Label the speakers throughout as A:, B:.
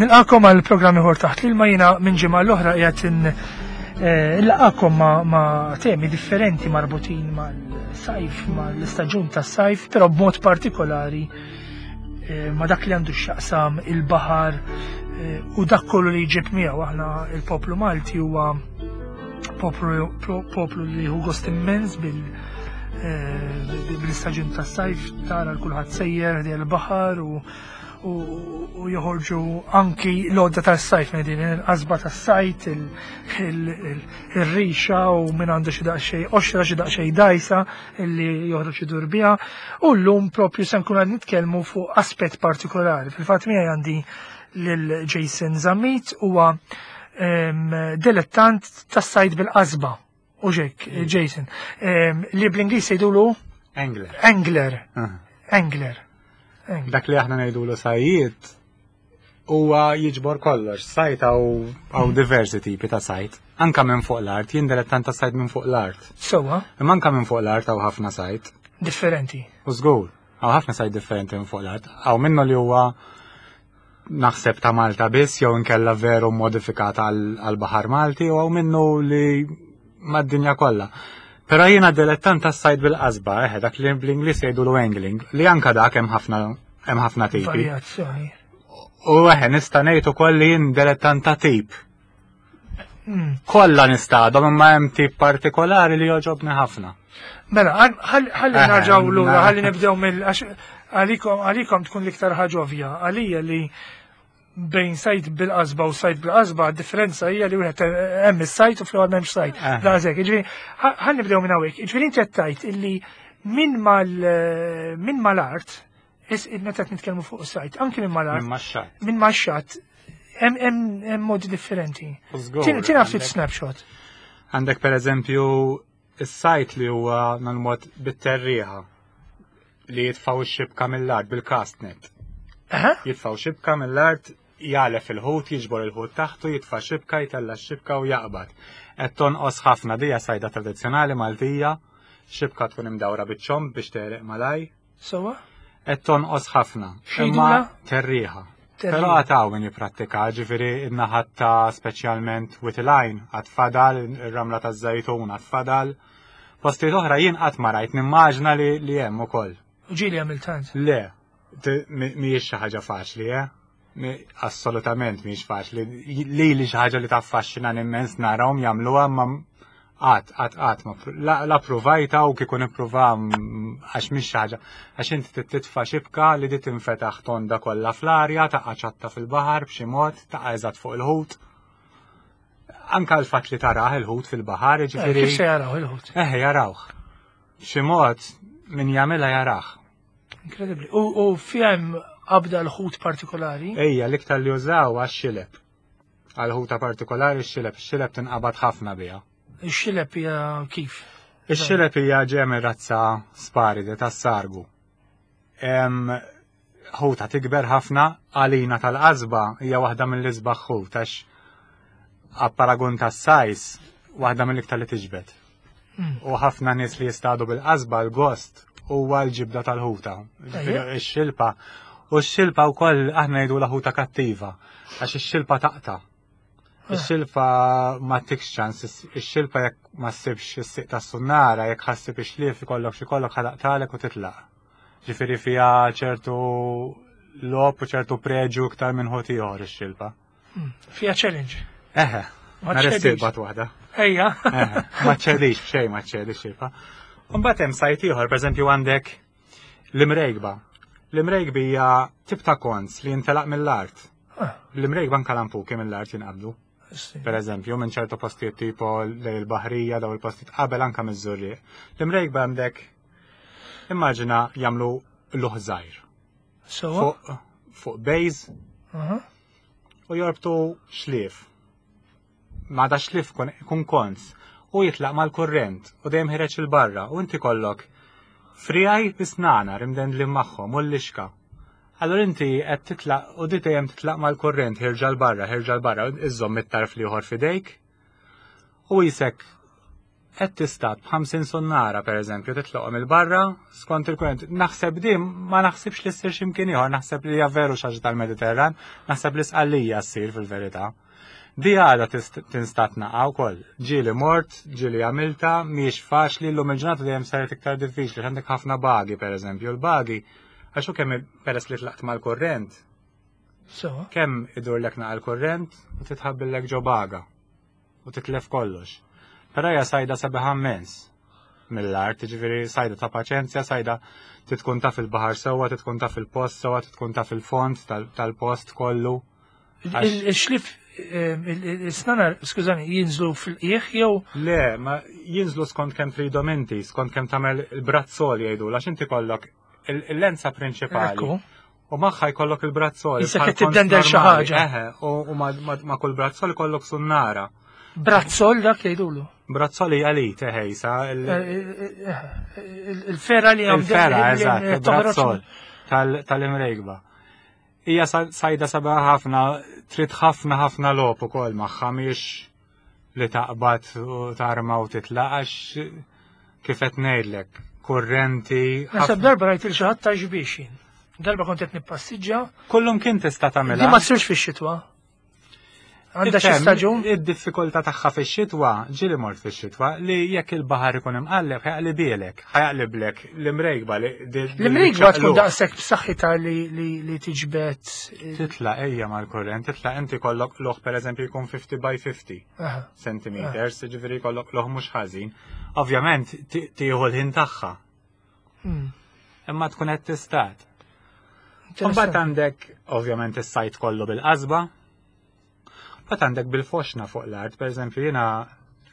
A: Nilqakom għal programm ieħor taħt l-ilma jiena minn ġimgħa l-oħra qiegħed eh, nlaqakom ma' temi differenti marbutin mal-sajf, mal-istaġun tas-sajf, però b'mod partikolari eh, ma' dak li għandu x'jaqsam il-baħar eh, u dak kollu li jġib miegħu aħna il-poplu Malti huwa poplu li hu gost immens bil bil-istaġun tas-sajf tara l-kulħadd sejjer l-baħar u u joħorġu anki l-għodda tas-sajt minn din il-qasba tas-sajt, il-rixa u minn għandu xi daqsxejn qoxra xi daqsxejn dajsa illi joħroġ idur biha. U llum propju se nkun qed nitkellmu fuq aspett partikolari. Fil-fatt miegħi għandi lil Jason Zammit huwa dilettant tas-sajt bil-qasba. U ġek, Jason, li bl-Ingliż jgħidulu
B: Angler.
A: Angler. Angler.
B: Dak li aħna ngħidulu sajjiet huwa jiġbor kollox. Sajt hawn diversi tipi ta' sajt. Anka minn fuq l-art, jien dilettant ta' sajt minn fuq l-art.
A: Sewwa.
B: Imma anka minn fuq l-art hawn ħafna sajt.
A: Differenti.
B: U żgur, hawn ħafna sajt differenti minn fuq l-art. Hawn minnu li huwa naħseb ta' Malta biss jew inkella veru modifikata għal baħar Malti u hawn minnu li mad-dinja kollha. Però jiena dilettant tas-sajd bil-qasba, eħe, dak li bl-Ingliż jgħidulu angling, li anka dak hemm ħafna hemm ħafna tipi.
A: Varjazzjoni.
B: U eħe, nista' ngħid ukoll li jien dilettant ta' tip. Hmm. Kollha nistadhom imma hemm tip partikolari li jogħġobni ħafna.
A: Mela, ħalli narġgħu lura, ħalli nibdew mill għalikom għalikom tkun l-iktar ħaġa ovvja, għalija li bejn sajt bil-qasba u sajt bil-qasba, differenza hija li wieħed hemm is-sajt u fl-ewwel m'hemmx sajt. Eh. Daqshekk, jiġifieri ħalli nibdew minn hawnhekk. Jiġifieri inti qed tgħid illi minn mal minn mal-art meta qed nitkellmu fuq is-sajt, anki minn mal-art.
B: Minn max-xatt.
A: Minn max-xatt hemm modi differenti. Tina ftit snapshot.
B: Għandek per eżempju is-sajt li huwa nal-mod bit-terriħa li jitfaw xibka mill-art bil-castnet. Jitfaw xibka mill-art jagħlef il-ħut, jiġbor il-ħut taħtu, jitfa' xibka, jtella' x-xibka u jaqbad. Qed tonqos ħafna dija sajda tradizzjonali Maltija, xibka tkun imdawra biċ-ċomb biex tegħreq malaj.
A: Sewa?
B: Qed tonqos ħafna.
A: Imma
B: terriħa. Però għad hawn min jipprattika, ġifieri n-naħat ta' speċjalment Witilajn għad fadal, ir-ramla taż-Żejtun għad fadal. Postijiet oħra jien qatt ma rajt, nimmaġna li li hemm ukoll.
A: U ġieli għamilt tant?
B: Le, mhijiex xi ħaġa faċli, eh? Assolutament mhijiex faċli. Lili xi ħaġa li taffaxxinani immens narahom jagħmluha imma qatt, qatt, qatt ma la ppruvajtha u kieku nippruvha għax mhix xi ħaġa. Għax inti trid titfa' xibka li di tinfetaħ tonda kollha fl-arja, taqa' ċatta fil-baħar b'xi mod, taqa' eżatt fuq il-ħut. Anka l-fatt li tarah il-ħut fil-baħar, jiġifieri.
A: Eh, kif se jaraw il-ħut?
B: Eh, jarawh. B'xi mod min jagħmilha jarah.
A: Inkredibbli. U fiha hemm qabda l-ħut partikolari?
B: Ejja, l-iktar li użaw għax-xileb. Għal ħuta partikolari x-xileb, x-xileb tinqabad ħafna biha.
A: Ix-xileb hija kif?
B: Ix-xileb hija ġejja minn razza sparide tas-sargu. Ħuta tikber ħafna għalina tal-qasba hija waħda mill-isbaħ ħut għax apparagun tas-sajs waħda mill-iktar li tiġbed. Hmm. U ħafna nies li jistadu bil-qasba l-gost huwa l-ġibda tal-ħuta. Ix-xilpa. U x-xilpa wkoll aħna ngħidu la ħuta kattiva għax ix-xilpa taqta. Ah. Ix-xilpa ma tikx ċans, ix-xilpa jekk ma ssibx is-siq tas-sunnara, jekk ħassib ix-xlief ikollok xi kollok ħalaqtalek u titlaq. Ġifieri fiha ċertu lop u ċertu preġu iktar minn ħut ieħor ix-xilpa.
A: Hmm, fija challenge.
B: Eħe. Ma ċedix. waħda.
A: Ejja.
B: Ma ċedix, b'xejn ma ċedix xilpa. Mbagħad hemm sajt ieħor, pereżempju għandek l-imrejgba. L-imrejgbi hija tip ta' kons li jintelaq mill-art. Ah. L-imrejgba anka lampuki mill-art jinqabdu. Per eżempju, minn ċertu postijiet tipo lej il-baħrija daw il-postijiet qabel anka miż-żurrieq. L-imrejgba għandek immaġina jagħmlu luħ żgħir. Fuq fuq base u jorbtu xlief. Ma da xlief kun kons u jitlaq mal-kurrent u dejjem ħireġ il-barra u inti kollok frijaj bisnana rimdendli magħhom u l-lixka. Allora inti qed titlaq u di dejjem titlaq mal-kurrent ħirġa l-barra, ħirġa l-barra, iżżomm it-tarf li ieħor fidejk u jisek. Qed tistad b'50 sunnara pereżempju titlaqhom il-barra skont il-kurrent. Naħseb di ma naħsibx li ssir x'imkien ieħor, naħseb li hija veru xi ħaġa tal-Mediterran, naħseb li Sqallija ssir fil-verità. Di għada tinstat naqa' wkoll. Ġieli mort, ġieli għamilta, mhijiex faċli, llum il-ġurnata dejjem saret iktar diffiċli, għandek ħafna bagi pereżempju, l-bagi għax hu kemm peress li tlaqt mal-kurrent. Kemm idurlek naqa' l-kurrent u titħabbillek ġo baga. u titlef kollox. Però hija sajda sabiħa immens mill-art, ġifieri sajda ta' paċenzja, sajda titkun taf il-baħar sewwa, titkun taf il-post sewwa, titkun taf il-fond tal-post kollu.
A: Il-xlif il-snanar, skużani, jinżlu fil-qieħ jew?
B: Le, ma jinżlu skont kemm tridhom inti, skont kemm tagħmel il-brazzol jgħidu, għax inti kollok il-lenza prinċipali. U magħha jkollok il-brazzol.
A: Issa qed tiddendel xi ħaġa.
B: Eħe, u ma' kull brazzol jkollok sunnara.
A: Brazzol dak jgħidulu.
B: Brazzol hija li teħejsa.
A: Eh, eh, eh, il-fera li
B: għam. Il-fera, eżatt, il-brazzol tal-imrejgba. Hija sajda sabiħa ħafna, trid ħafna ħafna logħob ukoll magħha mhix li taqbad u tarma u titlaq għax kif qed ngħidlek, kurrenti.
A: Naħseb darba rajt il xi ħadd ta' xbiex jien. Darba kont qed nippassiġġa.
B: Kullum kien tista' tagħmilha.
A: Di ma ssirx fix-xitwa. Għandha xi staġun?
B: Id-diffikultà tagħha fix-xitwa, ġieli mort fix-xitwa, li jekk il-baħar ikun imqalleb ħajaqlibielek, ħajaqliblek l-imrejkba li.
A: L-imrejkba tkun daqshekk b'saħħitha li tiġbed.
B: Titla' ejja mal-kurrent, titla' inti kollok loħ pereżempju jkun 50 by 50 centimeters, ġifieri jkollok loħ mhux ħażin. Ovvjament tieħu l-ħin tagħha. Hmm. Imma tkun qed tistat. Imbagħad għandek ovvjament is-sajt kollu bil-qasba. Mbagħad għandek bil-foxna fuq l-art, pereżempju jiena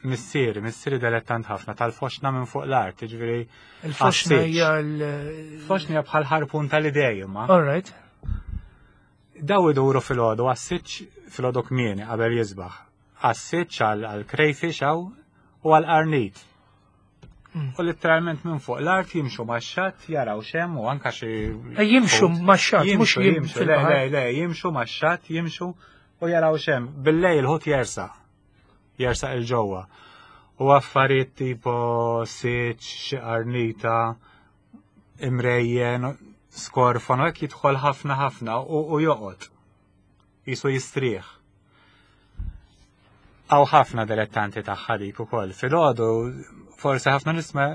B: missieri, missieri delettant ħafna tal-foxna minn fuq l-art, jiġifieri.
A: Il-foxna hija l.
B: Foxna hija bħal ħarpun tal-idej imma.
A: All right.
B: Daw iduru fil-ħodu għas-siċ fil-ħodu kmieni qabel jisbaħ. Għas-siċ għal-crayfish hawn u għal-qarnit. Mm. U letteralment minn fuq l-art jimxu max-xatt jaraw xem u anka xi.
A: Eh, jimxu max-xatt, mhux
B: jimxu. Le, le, le, jimxu max-xatt, jimxu u jaraw xem. Bil-lejl ħut jersa. Jersa il-ġewwa. U affarijiet tipo siċ, xi qarnita, imrejjen, skorfon, u hekk jidħol ħafna ħafna u joqgħod. Jisu jistrieħ. Hawn ħafna dilettanti tagħha dik ukoll. Filgħodu forsi ħafna nies ma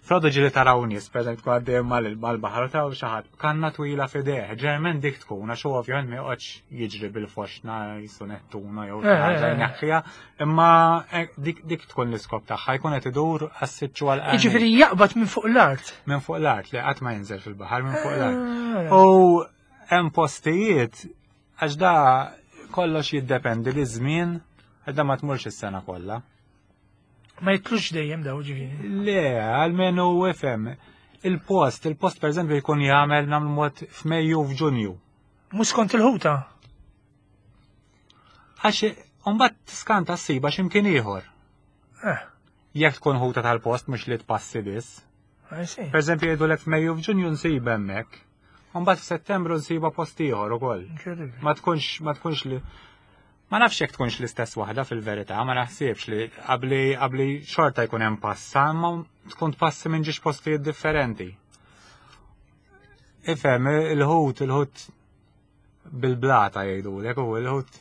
B: filgħodu ġieli taraw nies, pereżempju tkun għaddej mal-baħar u taraw xi ħadd b'kanna twila f'idejh. Ġeneralment dik tkun għax huwa ovvjament ma joqgħodx jiġri bil-foxna jisu nettuna jew xi eh, ħaġa eh, eh. jneħħiha, imma dik tkun l-iskop tagħha jkun qed idur għas-siċċu għal
A: Jiġifieri jaqbad minn fuq l-art.
B: Minn fuq l-art li qatt ma jinżel fil-baħar minn fuq l-art. U hemm postijiet Għax da kollox jiddependi li żmien, għax da ma tmurx is-sena kollha.
A: Ma jitlux dejjem daw ġifieri.
B: Le, għalmenu ifhem. Il-post, il-post per eżempju jkun jagħmel nagħmlu mod f'Mejju f'Ġunju.
A: Mhux skont il-ħuta.
B: Għax mbagħad tiskanta ssiba x'imkien ieħor. Eh. Jekk tkun ħuta tal-post mhux li tpassi biss. Per eżempju jgħidulek f'Mejju f'Ġunju nsib hemmhekk. Mbagħad f'Settembru nsibha post ieħor ukoll. Ma tkunx ma tkunx li Ma nafx jekk tkunx l-istess waħda fil-verità, ma naħsibx li qabli qabli xorta jkun hemm passa, imma tkun tpassi minn ġiex postijiet differenti. Ifhem, il-ħut, il-ħut bil-blata jgħidulek, u il-ħut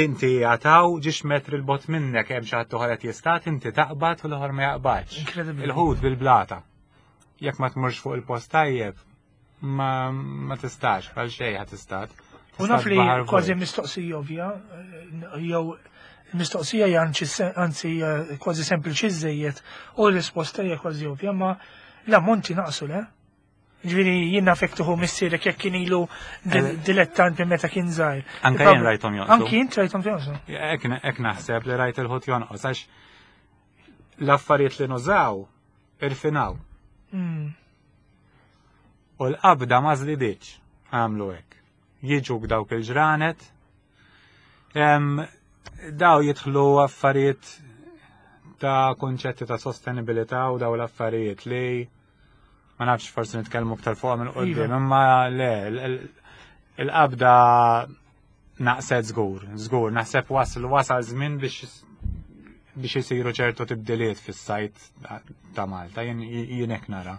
B: inti għataw ġiex metri l-bot minnek hemm xi ħadd oħra qed jistat, inti taqbad u l-oħra ma jaqbadx. Il-ħut bil-blata. Jekk ma tmurx fuq il-post tajjeb, ma, ma tistax, għal xejn ħa tistat.
A: U naf li kważi mistoqsija ovvja, jew mistoqsija hija anzi kważi sempliċi żejjed u l-risposta hija kważi ovvja, ma l-ammonti naqsu le? Ġifieri jien naf jekk tieħu missierek jekk kien ilu eh. dilettant minn meta kien żgħir.
B: Anke jien rajthom jonqsu.
A: Anke jien rajthom jonqsu.
B: Hekk naħseb li rajt il-ħut jonqos għax l-affarijiet li nużaw irfinaw. Hmm. U l-qabda ma żdidietx għamlu hekk. Jiġu dawk il-ġranet, daw jidħlu affarijiet ta' konċetti ta' sostenibilità u daw l-affarijiet li ma nafx forsi nitkellmu aktar fuq minn qudiem, iva. imma le il-qabda naqset żgur, żgur, naħseb wasal wasal żmien biex biex isiru ċertu tibdiliet fis-sajt ta' Malta, jien hekk nara.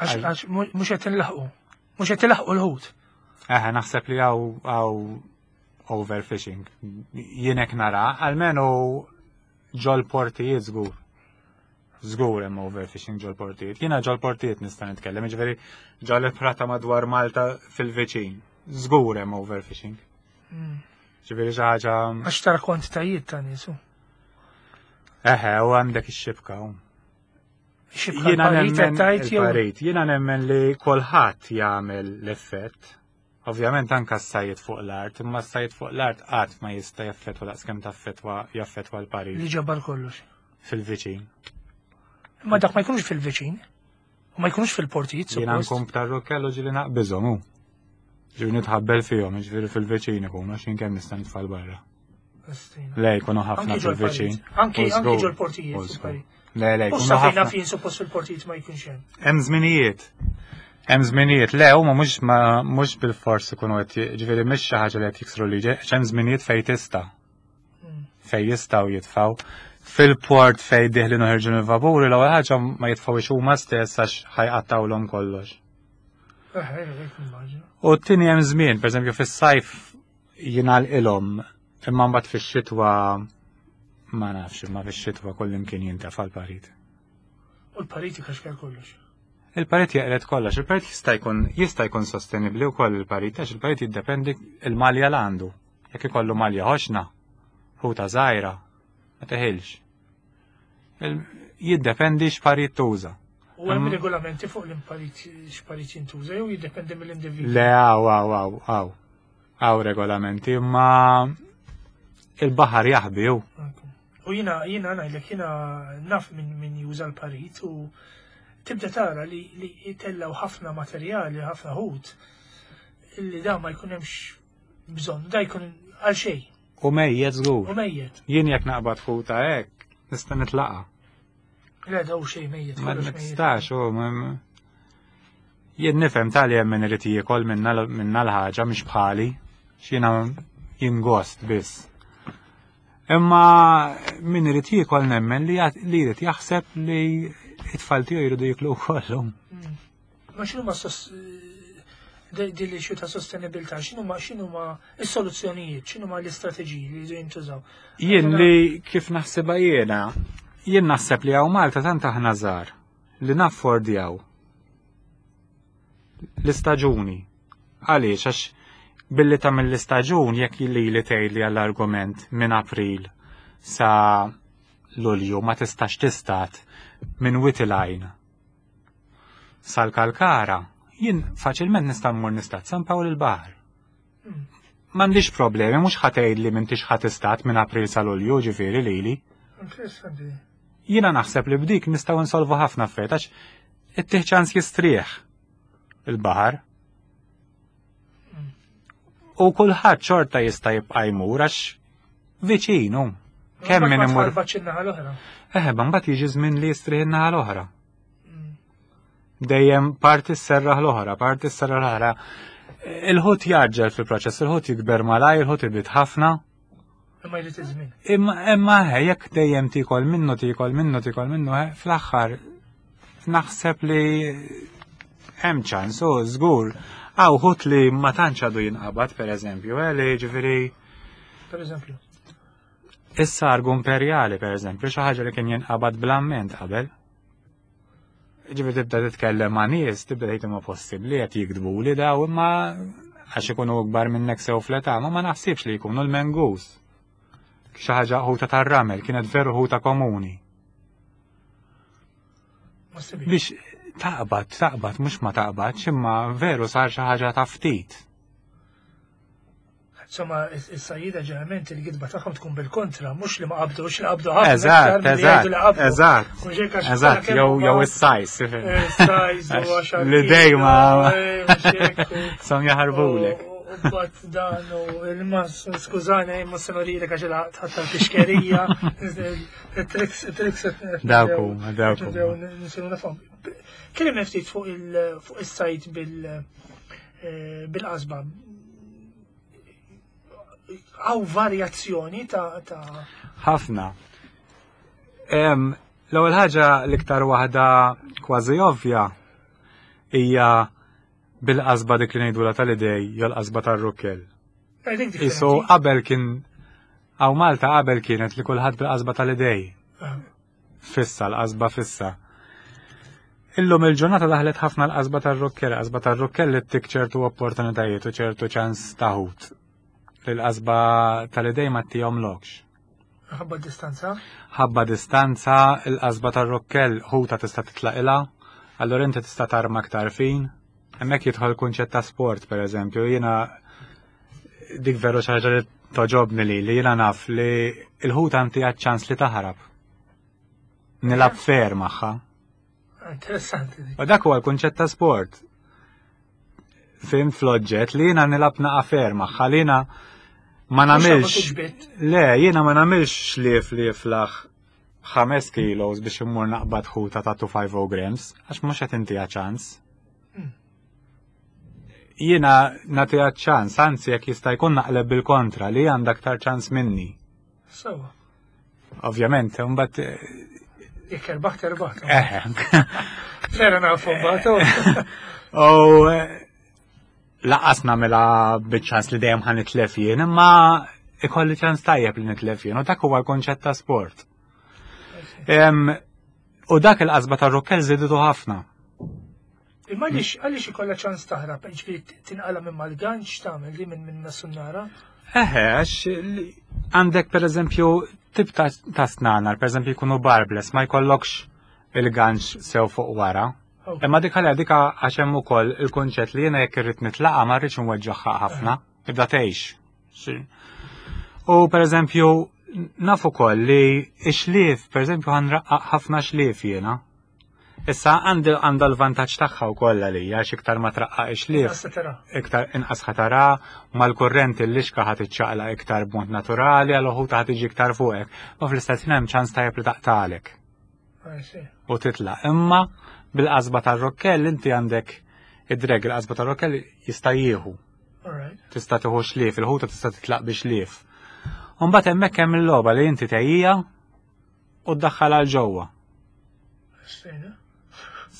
A: Għax mhux qed inlaħqu. Mhux qed ilaħqu l-ħut.
B: Eħe, naħseb li hawn overfishing. Jien hekk nara, almenu ġol portijiet żgur. Żgur hemm overfishing ġol portijiet. Jiena ġol portijiet nista' nitkellem, jiġifieri ġol prata madwar Malta fil-viċin. Żgur hemm overfishing. Ġifieri xi ħaġa.
A: Għax tara kwantitajiet ta' niesu.
B: Eħe, u għandek ix-xibka.
A: Xibka nemmen
B: il-parit. Jiena nemmen li kulħadd jagħmel l-effett. Ovvjament anka s-sajjed fuq l-art, imma s-sajjed fuq l-art qatt ma jista' jaffettwa daqskemm taffettwa jaffettwa l-parit.
A: Li ġabar kollox.
B: Fil-viċin.
A: Imma dak ma jkunux fil-viċin. U ma jkunux fil-portijiet.
B: Jiena nkun b'tarrukkellu ġili naqbiżhom hu. Ġifieri nitħabbel fihom, ġifieri fil-viċin ikunu għax jien kemm nista' nitfal barra. Le, jkunu ħafna fil-viċin.
A: Anki ġol portijiet.
B: Le, le,
A: jkunu ħafna. Fejn suppost fil-portijiet ma jkunx hemm.
B: Hemm żminijiet. Hemm żminijiet, le, huma mhux mhux bil-fors ikunu qed ġifieri mhix xi ħaġa li qed jiksru liġi, hemm żminijiet fejn tista'. Fejn jistgħu jitfgħu. Fil-port fejn diħlin uħirġu mill-vapuri l-ewwel ħaġa ma jitfgħux huma stess għax ħajqattawlhom kollox. U t-tieni hemm żmien, pereżempju fis-sajf jingħalqilhom imma mbagħad fix-xitwa ma nafx imma fix-xitwa kullimkien jintefa' l-parit.
A: U l-parit jkaxkar kollox.
B: Il-parit jeqred kollox, il-parit jista' jkun jista' jkun sostenibbli wkoll il-parit għax il-parit jiddependi il-malja l għandu. Jekk ikollu malja ħoxna, ħuta żgħira, ma teħilx. Jiddependi x'parit tuża.
A: U hemm regolamenti fuq l-imparit x'parit jintuża jew jiddependi mill-individwu?
B: Le, għaw, għaw, għaw, għaw. Għaw regolamenti, imma il-baħar jaħbi
A: u. U jina, jina ngħidlek jina naf minn min juża l-parit u tibda tara li, li jitellaw ħafna materjali, ħafna ħut, illi da ma jkun hemmx bżonn, da jkun għal xejn.
B: U mejjet żgur.
A: U mejjet.
B: Jien jekk naqbad ħuta hekk, nista' nitlaqa.
A: Le daw xejn mejjet.
B: Ma nistax, u jien nifhem tali hemm min irid jiekol minna l-ħaġa mhix bħali, x'jiena jien gost biss. Imma min irid jiekol nemmen li jrid jaħseb li it-tfal tiegħu jridu jiklu wkoll.
A: Mm. Ma x'inhu ma din li ta' sostenibilità, x'inhu ma x'inhu ma s-soluzzjonijiet, x'inhu ma l-istrateġiji li jridu jintużaw.
B: Jien li kif naħsibha jiena, jien naħseb li hawn Malta tant aħna żgħar li naffordjaw l-istaġuni. Għaliex għax billi tagħmel l-istaġun jekk li li tgħidli għall-argument minn April sa Lulju ma tistax tistat minn Witilajn sal-Kalkara, jien faċilment nista' mmur nistat San Pawl il-Baħar. M'għandix problemi, mhux ħa tgħidli m'intix ħa tistat minn April sa Lulju, ġifieri lili.
A: Interessanti.
B: Jiena naħseb li b'dik nistgħu nsolvu ħafna affarijiet għax ittih ċans jistrieħ il-baħar. U kulħadd xorta jista' jibqa' jmur għax viċinu.
A: Kemm min imur.
B: Eħe, mbagħad jiġi żmien li jistrieħ in-naħa l-oħra. Dejjem parti s-serraħ l-oħra, parti s-serraħ l-oħra. Il-ħut jaġġel fil-proċess, il-ħut jikber malaj, il-ħut ibit ħafna.
A: Imma jrid iż-żmien.
B: Imma imma jekk dejjem tikol minnu, tikol minnu, tikol minnu, fl-aħħar naħseb li hemm ċans, u żgur. Għaw ħut li ma tantx għadu jinqabad, per eżempju, eh, li ġifieri.
A: Per eżempju.
B: Is-sargu imperjali, per eżempju, xi ħaġa li kien jinqabad bl-amment qabel. Ġifieri tibda titkellem ma' nies, tibda tgħid imma possibbli qed jikdbu li daw imma għax ikunu ikbar minnek sew fl-età, ma ma naħsibx li jkunu l-mengus. Xi ħaġa ħuta tar-ramel kienet veru ħuta komuni. Biex taqbad, taqbad, mhux ma taqbadx, imma veru sar xi ħaġa ta' ftit.
A: Insomma, is-sajjida ġeneralment il-gidba tagħhom tkun bil-kontra, mhux li ma qabdux, li qabdu ħafna.
B: Eżatt, eżatt, eżatt. Eżatt, jew jew is-sajs.
A: Is-sajs u għaxar.
B: Li dejma. Eh, Som jaħarbulek.
A: U bat dan u il-mas, skużani, ma senorilek għax il-ħatta l-pixkerija, il-triks, il-triks.
B: Dawku, dawku.
A: Nisiru nafhom. Kellimna ftit fuq il-sajt eh, bil-qasba. Għaw varjazzjoni ta'
B: ħafna. L-ewwel ħaġa l-iktar waħda kważi ovvja hija bil-qasba dik li ngħidulha tal-idej jew l-qasba tar-rukkel. Isu qabel kien hawn Malta qabel kienet li kulħadd bil-qasba tal-idej. Ah. Fissa, l-qasba fissa. Illum il-ġurnata daħlet ħafna l-qasba tar-rukkel, qasba tar-rukkel li tik ċertu opportunitajiet u ċertu ċans taħut. Li l-qasba tal-idej ma tihomlokx.
A: Ħabba distanza?
B: Ħabba distanza, il-qasba tar-rokkel ħuta tista' titlaqilha, allura inti tista' tarma aktar fin. Hemmhekk jidħol kunċett ta' sport, per eżempju, jiena dik veru xi ħaġa li toġobni li li jiena naf li l-ħuta inti ċans li taħrab. Nilab fair magħha.
A: Interessanti.
B: U dak huwa l-kunċett ta' sport. Fim fl-oġġett li jiena nilab naqa' fair magħha li jiena ma nagħmilx. Le, jiena ma nagħmilx xlief li jiflaħ 5 kilos biex immur naqbad ħuta ta' 250 grams, għax mhux qed intiha ċans. Jiena nagħtiha ċans, anzi jekk jista' jkun naqleb bil-kontra li għandha aktar ċans minni.
A: Sewa.
B: Ovvjament, mbagħad eh,
A: Jekk erbaħt erbaħt. Eh. Vera nafu mbagħad.
B: U eh, laqas nagħmilha biċ-ċans li dejjem ħa nitlef jien, imma ikolli ċans tajjeb li nitlef jien, u dak huwa l-konċett ta' sport. U dak il-qasba tar-rokkel żiditu ħafna.
A: Imma għaliex għaliex ikollha ċans taħrab, ġifieri tinqala minn mal-ganċ tagħmel li minn minn sunnara?
B: Eħe, għax għandek pereżempju tip ta' snanar, pereżempju jkunu barbless, ma jkollokx il-ganċ sew fuq wara. Imma dik għalha dik għax hemm ukoll il-kunċett li jiena jekk irrid nitlaqa' ma rridx nweġġaħħa ħafna, ibda tgħix. U pereżempju naf ukoll li x-xlief, pereżempju ħanraqqaq ħafna xlief jiena. Issa għandha l-vantaġġ tagħha wkoll għalija għax iktar ma traqqaq ix-xlief. Iktar inqas ħatara mal-kurrent il-lixka ħad iċċaqla iktar b'mod naturali għal uħud ħad tiġi iktar fuqek. Ma fl-istess ħin hemm ċans tajjeb li taqtalek. U titla'. Imma bil-qasba tar-rokkell inti għandek id-dreg il-qasba tar-rokkell jista' jieħu. Tista' tieħu xlief, il-ħuta tista' titlaq bi xlief. Mbagħad hemmhekk hemm il-logħba li inti tejjija u ddaħħal għal ġewwa.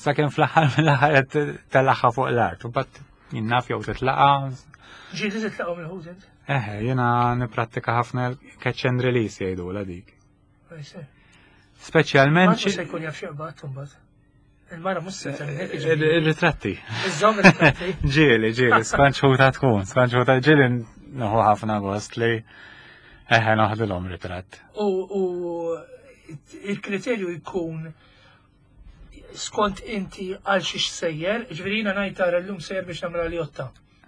B: Sakemm fl-aħħar mill-aħħar qed telaħħa fuq l-art, u bat jinnaf jew titlaqa.
A: Ġieli titlaqgħu mill-ħut int?
B: Eħe, jiena nipprattika ħafna catch and release jgħidu la dik. Speċjalment.
A: Ma se jkun jaf x'jaqbad imbagħad. Il-mara mhux se
B: Il-ritratti.
A: Iżżomm il-ritratti.
B: Ġieli, ġieli, skont xhuta tkun, skont xhuta ġieli nieħu ħafna gost li eħe noħdilhom ritratt.
A: U il-kriterju jkun skont inti għal xiex sejjer, ġifieri jiena ngħid tara llum sejjer biex nagħmel għal-jotta.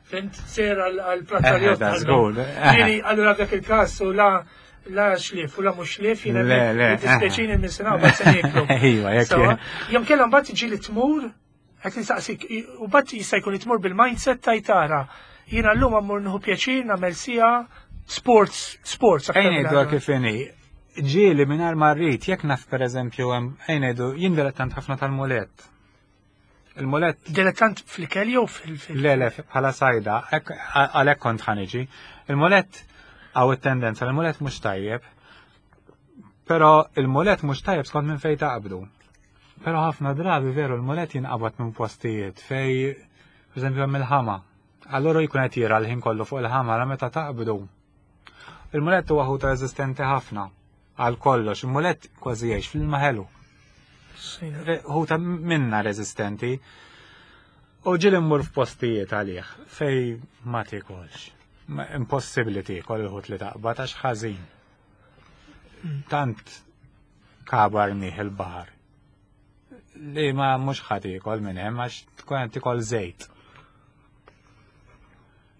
A: Fint, sejjer għal-platta li jotta. Ġifieri allura dak il-każ u la la xlif u la mhux xlif jiena dispeċini minn sena u se nieklu.
B: Iva, jekk.
A: Jom kellha mbagħad tiġi li tmur qed nistaqsik u mbagħad jista' jkun li tmur bil-mindset tajtara. Jiena llum ammur nieħu pjaċir nagħmel sija sports, sports.
B: Ejn ngħidu kif inhi. Ġieli mingħajr ma rrid, jekk naf pereżempju hemm ejn ngħidu jien dilettant ħafna tal-mulett. Il-mulett.
A: Dilettant fl-ikel jew fil
B: Le, le, bħala sajda, għalhekk kont ħaniġi. Il-mulett għaw it-tendenza, il-mulett mhux tajjeb. Però il-mulett mhux tajjeb skont minn fejn taqbdu. Però ħafna drabi veru l-mulett jinqabad minn postijiet fej, per eżempju, hemm il-ħama. Allura jkun qed jira l-ħin kollu fuq il-ħama meta taqbdu. Il-mulett huwa ħuta reżistenti ħafna. Għal kollox, il-mulett kważi jgħix fl-ilma ħelu. Ħuta minna reżistenti. U ġieli mmur f'postijiet għalih fej ma tikolx. Impossibbli tiekol il-ħut li taqbad għax ħażin. Tant kabar nih il-baħar. Li ma mhux ħadd iekol minn hemm għax tkun qed tikol żejt.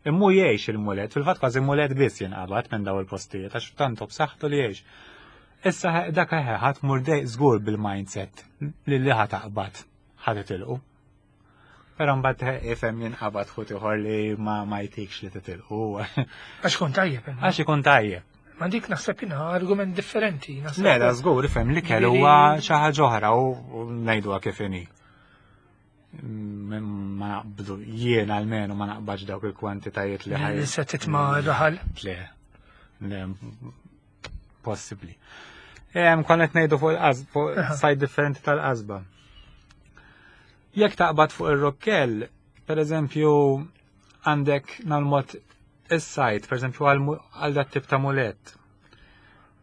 B: Immu jgħix il-mulet, fil-fatt kważi mulet biss jinqabad minn daw il-postijiet għax tantu b'saħħtu li jgħix. Issa dak eħe ħadd mur dej żgur bil-mindset li li ħa taqbad ħa titilqu. Però mbagħad ifhem jinqabad ħut ieħor li ma ma jtikx li titilqu.
A: Għax ikun tajjeb.
B: Għax ikun tajjeb.
A: Ma dik naħseb jiena argument differenti.
B: Le, da żgur ifhem li kellu huwa xi ħaġa oħra u ngħiduha kif inhi. Ma naqbdu jien almenu ma naqbadx dawk il-kwantitajiet li
A: ħaj. Se titma raħal?
B: Le, le, possibbli. Konna qed ngħidu fuq il-qasb, fuq sajd differenti tal-qasba. Jekk taqbad fuq ir-rokkell, per eżempju, għandek nal-mod is-sajd, per eżempju, għal dat tip ta' mulet.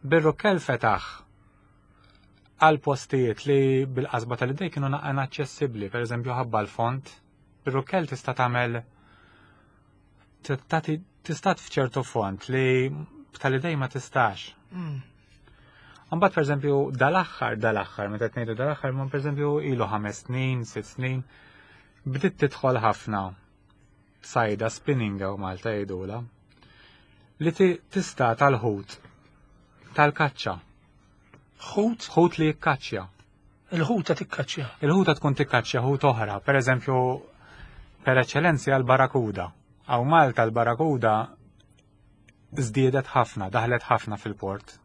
B: Bir-rokkell fetaħ għal postijiet li bil-qasba tal-idej kienu naqqa inaċċessibbli, per eżempju ħabba l-font, bir-rokkell tista' tagħmel tista' f'ċertu font li tal-idej ma tistax. Mbagħad pereżempju dal-aħħar dal-aħħar meta qed ngħidu dal-aħħar ma pereżempju ilu ħames snin, sitt snin, bdiet tidħol ħafna sajda spinning hawn Malta jgħidulha li tista' tal-ħut tal-kaċċa.
A: Ħut?
B: Ħut li jikkaċċja.
A: Il-ħuta tikkaċċja.
B: Il-ħuta tkun tikkaċċja ħut oħra, per eżempju, per eċċellenza l-barakuda. Hawn Malta l-barakuda żdiedet ħafna, daħlet ħafna fil-port.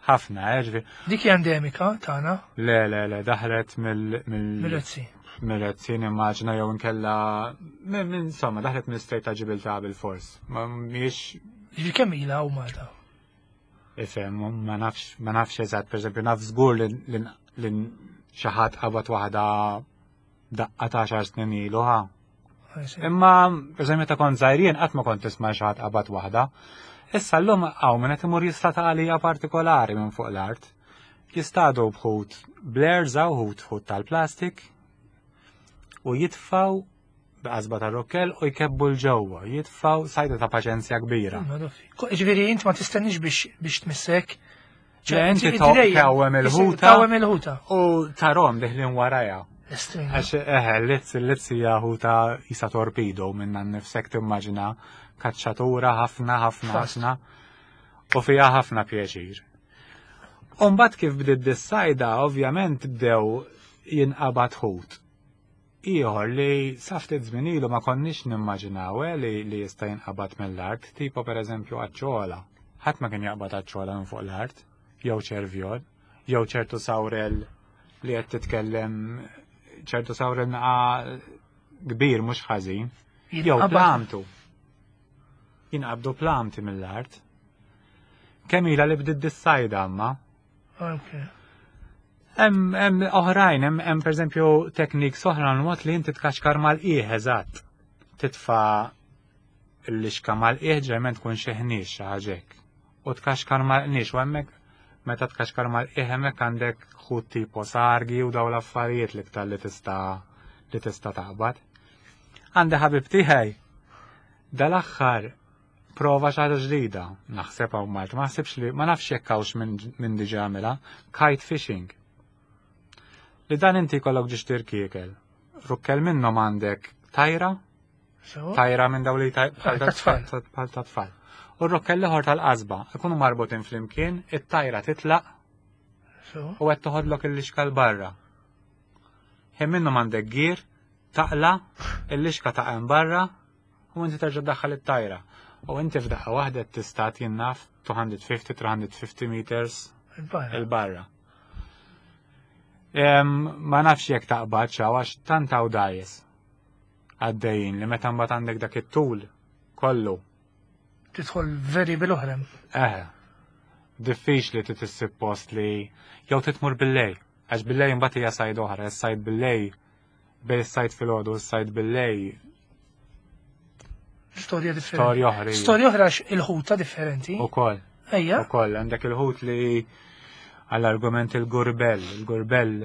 B: Ħafna, ġifieri.
A: Dik hija endemika tagħna?
B: Le, le, le, daħlet mill
A: Mill-Rezzi.
B: Mill-Rezzi nimmaġina jew inkella minn insomma daħlet mill-Strait ta' Ġibiltà bil-fors. Ma mhijiex
A: Ġifieri kemm ilha hawn Malta?
B: Ifhem, ma nafx, ma nafx eżatt, pereżempju naf żgur li xi ħadd qabad waħda daqqa ta' xar snin ilu ħa. Imma, per meta kont żgħir qatt ma kont tisma' xi ħadd qabad waħda. Issa llum hawn min qed imur jista' ta' għalija partikolari minn fuq l-art. Jistadu bħut blairs hawn ħut ħut tal-plastik u jitfaw b'qasba ta' rokkel u jkebbu l-ġewwa, jitfaw sajda ta' paċenzja kbira.
A: Ġifieri int ma tistenniex biex tmissek.
B: Le inti tawem il-ħuta.
A: Tawem il-ħuta.
B: U tarom diħlin waraja. Għax eħe, l-lizz, l-lizz hija ħuta jisa torpedo minna nnifsek timmaġina kaċċatura ħafna ħafna ħafna u fiha ħafna pjaċir. Umbagħad kif bdiet dis-sajda, ovvjament bdew jinqabad ħut. Ieħor li sa ftit żmien ilu ma konniex nimmaġinaw eh, li, li jista' jinqabad mill-art, tipo pereżempju aċċola. Ħadd ma kien jaqbad aċċola minn fuq l-art, jew ċervjol, jew ċertu sawrel li qed titkellem ċertu sawrel naqa kbir mhux ħażin, jew plamtu. Jinqabdu plamti mill-art. Kemm ilha li bdiet dis-sajda amma?
A: Okay.
B: Hemm oħrajn, hemm pereżempju teknik oħra mod li inti tkaxkar mal-qiegħ eżatt. Titfa' l-lixka mal-qiegħ ġerment tkun xi ħniex xi ħaġa hekk. U tkaxkar mal-qniex u hemmhekk meta tkaxkar mal-qiegħ hemmhekk għandek ħut tipo sargi u daw l-affarijiet l-iktar li tista' li tista' taqbad. Għandi ħabib tiegħi dal-aħħar prova xi ħaġa ġdida, naħseb hawn Malta, ma naħsibx li ma nafx jekk hawnx minn diġà għamilha, kite fishing. Li dan inti jkollok ġiex tirkiekel. Rukkel minnhom għandek tajra, tajra minn dawn li
A: bħal
B: ta' tfal. U r-rukkel l-ieħor tal-qasba, ikunu marbutin flimkien, it-tajra titlaq u qed toħodlok il-lixka l barra. Ħin minnhom għandek gir, taqla, il-lixka ta' barra, u inti terġa' daħħal it-tajra. U inti f'daqqa waħda tista' jinnaf 250-350 meters il-barra. Ma nafx jekk taqbad xaw għax tant hawn dajes għaddejjin li meta mbagħad għandek dak it-tul kollu.
A: Tidħol veri bil-oħrem.
B: Eh, diffiċli titissib post li jew titmur bil-lej. Għax bil-lej mbagħad hija sajd oħra, is-sajd bil-lej bej is-sajd filgħodu u s-sajd bil-lej.
A: Storja differenti.
B: Storja oħra.
A: Storja oħra il-ħuta differenti.
B: Ukoll.
A: Ejja.
B: Ukoll għandek il-ħut li għall-argument il-gurbell, il-gurbell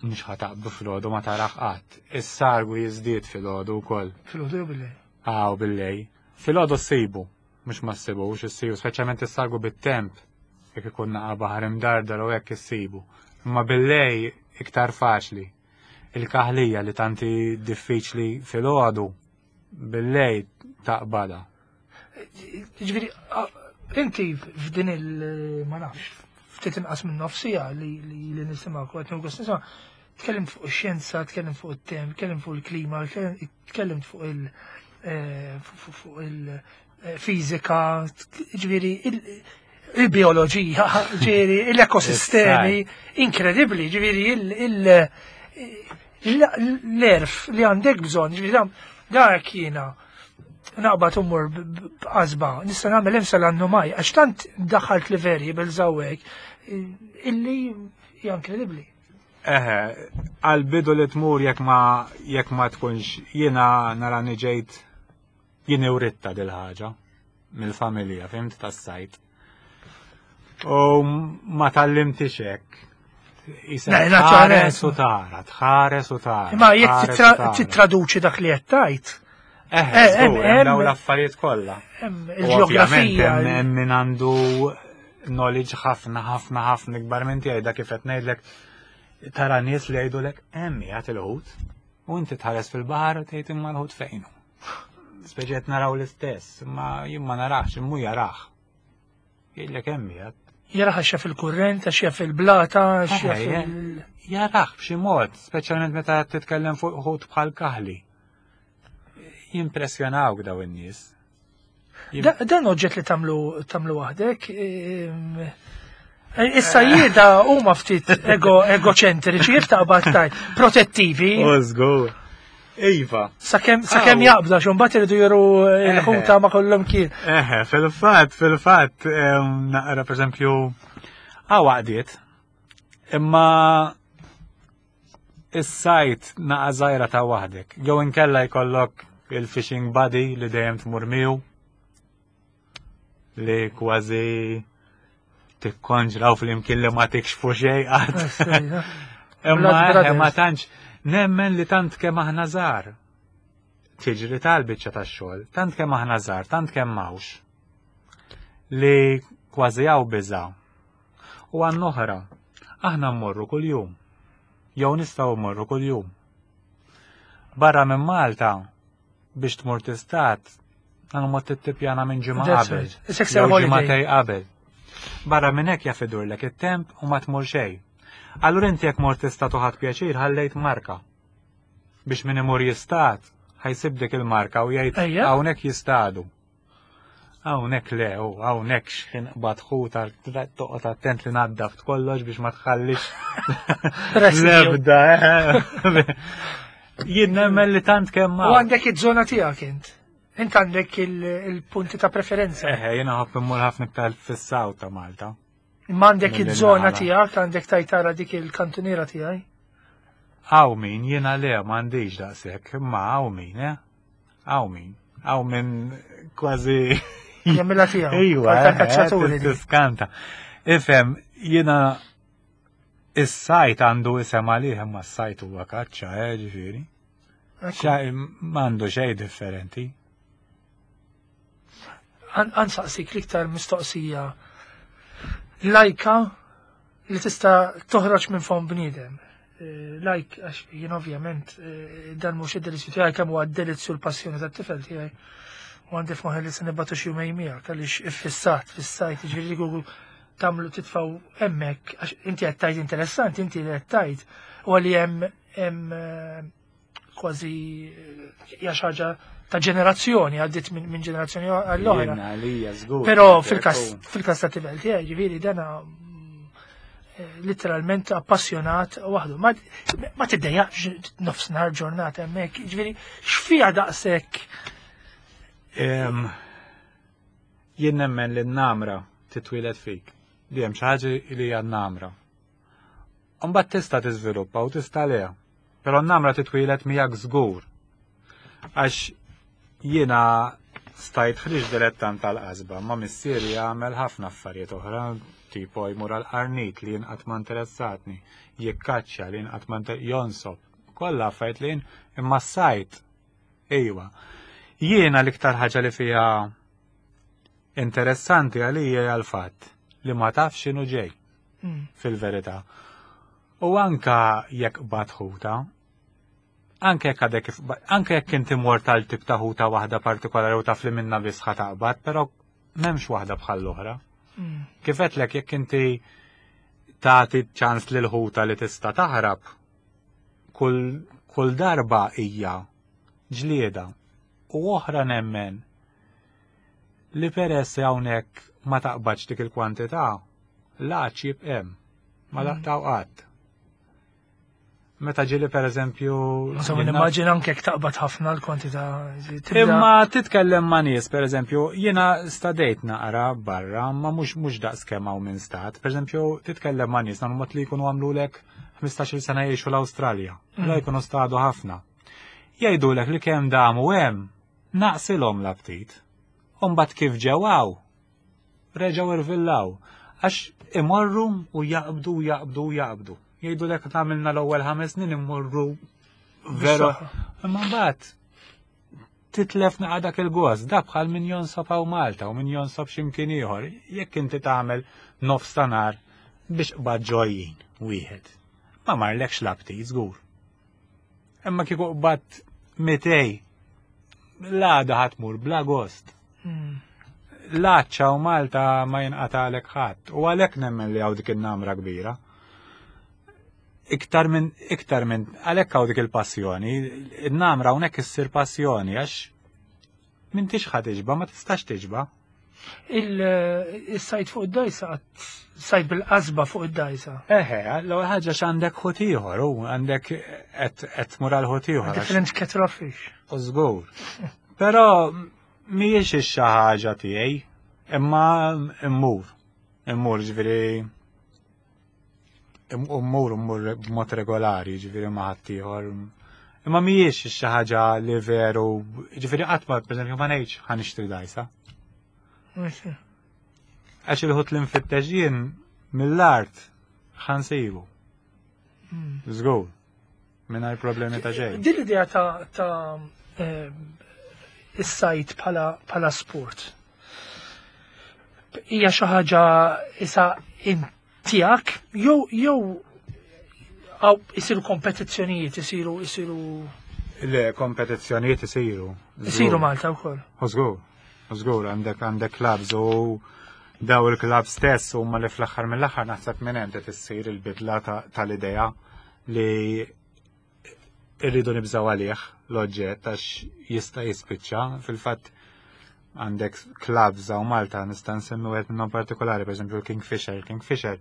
B: mhux ħataqbdu filgħodu ma tarax qatt. Is-sargu jiżdied filgħodu wkoll.
A: Filgħodu jew bil-lej?
B: Aw bil-lej. Filgħodu ssibu, mhux ma ssibux, issibu, speċjalment is-sargu bit-temp, jekk ikun naqa' baħar imdardar u hekk issibu. Imma bil-lej iktar faċli. Il-kaħlija li tanti diffiċli filgħodu bil-lej taqbada.
A: Ġifieri, inti f'din il- ma nafx, ftit inqas minn nofsija li li nisimgħu qed nieħu gost nisma' tkellimt fuq ix-xjenza, tkellimt fuq it-temp, tkellimt fuq il-klima, tkellimt fuq il- fuq il-fiżika, ġifieri il-bioloġija, ġifieri l-ekosistemi, inkredibbli, ġifieri l-erf li għandek bżonn, ġifieri dak jiena. naqbad umur b'qasba, nista' nagħmel hemm sal-annumaj, għax tant daħalt li variables hawnhekk illi hija inkredibbli.
B: Eħe, għal-bidu li tmur jekk ma jekk ma tkunx jiena nara ġejt jien ewritta dil-ħaġa mill-familja, fimt tas-sajt. U ma tallimtix hekk. Tħares u tara, tħares u tara.
A: Ma jekk titraduċi dak li qed tgħid.
B: Eh, eh, daw l-affarijiet kollha.
A: Il-ġeografija.
B: Hemm min għandu knowledge ħafna ħafna ħafna ikbar minn tiegħi dak kif qed ngħidlek tara nies li jgħidulek hemm qiegħed il-ħut u inti tħares fil-baħar u tgħid imma l-ħut fejnu. Speċi qed naraw l-istess, imma jien ma narax, immu jarah. Jgħidlek hemm qiegħed.
A: Jarah għax jaf il-kurrent, għax jaf il-blata, għax jaf il.
B: Jarah b'xi mod, speċjalment meta titkellem fuq ħut bħal kaħli. Jimpressjonawk daw in-nies.
A: Dan oġġett li tamlu tamlu waħdek. Issa jieda huma ftit ego egoċentriċi jif taqbad tajt, protettivi.
B: U żgur. Iva.
A: Sakemm sakemm jaqbda xi mbagħad iridu juru l-ħuta ma kollhom kien.
B: Eħe, fil-fatt, fil-fatt, naqra pereżempju għaw għaqdiet. Imma Is-sajt naqa' żgħira ta' waħdek. Jew inkella jkollok il-fishing buddy li dejjem tmur miegħu li kważi tikkonġraw fl-imkien li ma tikxfu xejn qatt. Imma eh, ma tantx nemmen li tant kemm aħna żgħar. Tiġri tal-biċċa tax-xogħol, tant kemm aħna żgħar, tant kemm m'hawnx. Li kważi hawn biża'. U għan oħra, aħna mmorru kuljum. Jew nistgħu mmorru kuljum. Barra minn Malta biex tmur tistat, għan mod tittipjana minn ġimgħa qabel. Ġimgħatej qabel. Barra minn hekk jaf idurlek it-temp u ma tmur xejn. Allura inti jekk mort tistat u ħadd pjaċir ħallejt marka. Biex min imur jistat, ħajsib dik il-marka u jgħid hawnhekk jistadu. Hawnhekk le, u hawnhekk x'ħin qbad ħuta toqgħod attent li naddaf kollox biex ma tħallix l-ebda. Eh. Jien nemmen li tant kemm
A: U għandek iż-żona tiegħek int. Int għandek il-punti ta' preferenza.
B: Eħe, jiena ħobb immur ħafna iktar fis-saw ta' Malta.
A: Imma għandek iż-żona tiegħek, għandek tajtara dik il-kantuniera tiegħi.
B: Hawn min, jiena le m'għandix daqshekk, imma hawn min, eh? Hawn min, hawn min kważi.
A: Jagħmilha tiegħu.
B: Iva, eh, tiskanta. Ifhem, jiena is-sajt għandu isem għalih imma s-sajt huwa kaċċa, eh, ġifieri. M'għandu xejn differenti.
A: Għansaqsik l-iktar mistoqsija lajka li tista' toħroġ minn fond bniedem. Eh, lajk, għax jien ovvjament eh, dan mhux id-delizzju tiegħi kemm huwa d-delizzju l-passjoni tat-tifel tiegħi. U għandi f'moħħi li se nibgħatu xi jumejn miegħek għaliex iffissat fis-sajt, jiġifieri Google tagħmlu titfgħu hemmhekk għax inti qed tgħid interessanti, inti li qed tgħid u għalli hemm hemm eh, kważi hija xi ħaġa ta' ġenerazzjoni għaddit minn ġenerazzjoni għall-oħra. Però fil-każ fil-każ ta' tifel tiegħi ġifieri dana eh, literalment appassjonat waħdu. Ma tiddejjaqx nofsinhar ġurnata hemmhekk, ġifieri x'fiha daqshekk.
B: Jien nemmen li n-namra titwieled fik. Li hemm xi ħaġa li hija n-namra. Imbagħad tista' tiżviluppa u tista' le. Però n-namra titwieled miegħek żgur. Għax jiena stajt ħriġ dilettant tal-qasba, ma missieri jagħmel ħafna affarijiet oħra, tipo jmur għal qarnit li jien qatt ma interessatni, jikkaċċja li jien qatt ma jonsob. Kollha affarijiet li jien imma s-sajt. Ejwa. Jiena l-iktar ħaġa li fiha interessanti għalija hija l-fatt li ma tafx x'inhu ġej. Mm. Fil-verità. U anka jekk bat ħuta, anke jekk għadek anke jekk inti mort għal tip ta' ħuta waħda partikolari u taf li minna biss ħa taqbad, però m'hemmx waħda bħal l-oħra. Mm. Kif għedtlek jekk inti tagħti ċans lil ħuta li tista' taħrab, kull, kull darba hija ġlieda. U oħra nemmen li peress hawnhekk ma taqbadx dik il-kwantità, l-għatx jibqa' hemm, ma mm. laqtaw qatt. Meta ġieli per eżempju.
A: Insomma, nimmaġina anke taqbad ħafna l-kwantità.
B: Imma titkellem ma' nies, per eżempju, jiena stadejt naqra barra, ma mhux mhux daqs kemm hawn minn stat. Per eżempju, titkellem ma' nies mod li jkunu għamlulek 15-il sena jgħixu l-Awstralja. La mm. jkunu stadu ħafna. Jgħidulek li kemm damu hemm, naqsilhom l-aptit. Umbagħad kif ġew hawn, reġgħu irvillaw. Għax imorru u jaqbdu u jaqbdu u jaqbdu. Jgħidu lek għamilna l-ewwel ħames snin immorru veru. Imma mbagħad titlef naqa' dak il-gost, da bħal min jonsob hawn Malta u min jonsob x'imkien ieħor. Jekk inti tagħmel nofs ta' nar biex qbad ġojjin wieħed. Ma marlekx l-aptit żgur. Imma kieku qbadt mitej, l-għada ħatmur bla gost. Hmm. L-għadċa u Malta ma jinqatalek ħadd u għalhekk nemmen li hawn dik in-namra kbira. Iktar minn iktar minn għalhekk hawn dik il-passjoni, in-namra hawnhekk issir passjoni għax m'intix ħa tiġba, ma tistax tiġba.
A: Il-sajt fuq id-dajsa, sajt bil-qasba fuq id-dajsa.
B: Eħe, l-ewwel ħaġa x'għandek ħut ieħor, u għandek qed tmur għal ħut ieħor.
A: Different kettle of fish.
B: U żgur. Però mhijiex ix-xi ħaġa tiegħi, imma immur. Immur ġifieri Immur immur b'mod regolari, ġifieri ma' ħaddieħor. Imma mhijiex xi ħaġa li veru, ġifieri qatt ma pereżempju ma ngħidx ħa nixtri dajsa. Għax il-ħut li nfittex jien mill-art ħa nsibu. Hmm. Żgur. Mingħajr problemi ta' xejn.
A: Din l-idea ta' eh, is-sajt bħala sport. Hija xi ħaġa isa tiegħek jew jew għaw isiru kompetizzjonijiet, isiru isiru.
B: Le, kompetizzjonijiet isiru.
A: Isiru Malta wkoll.
B: Żgur, żgur għandek għandek clubs u daw il-club stess huma li fl-aħħar mill-aħħar naħseb minn hemm issir il-bidla tal-idea li irridu nibżaw għalih l-oġġett għax jista' jispiċċa. Fil-fatt għandek clubs hawn Malta nista' nsemmi wieħed minnhom partikolari, pereżempju l-Kingfisher. Kingfisher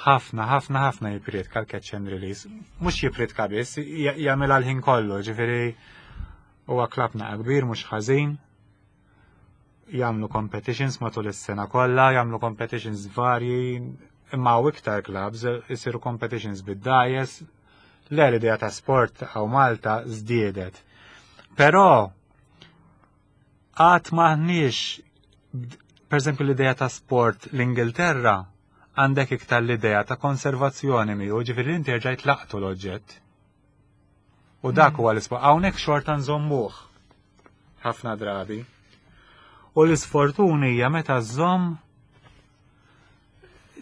B: ħafna, ħafna, ħafna jipritka l-catch and release. Mhux jipritka biss, jagħmilha l-ħin kollu, ġifieri huwa club naqa kbir mhux ħażin. Jagħmlu competitions matul is-sena kollha, jagħmlu competitions varji, imma hawn iktar clubs, isiru competitions bid-dajes. Le l-idea ta' sport hawn Malta żdiedet. Però għad maħniex, per eżempju l-idea ta' sport l-Ingilterra għandek iktar l-idea ta' konservazzjoni miegħu, ġifieri inti rġajt laqtu l-oġġett. U dak mm. huwa l-isport. Hawnhekk xorta nżommuh ħafna drabi. U l-isfortuni hija meta żżomm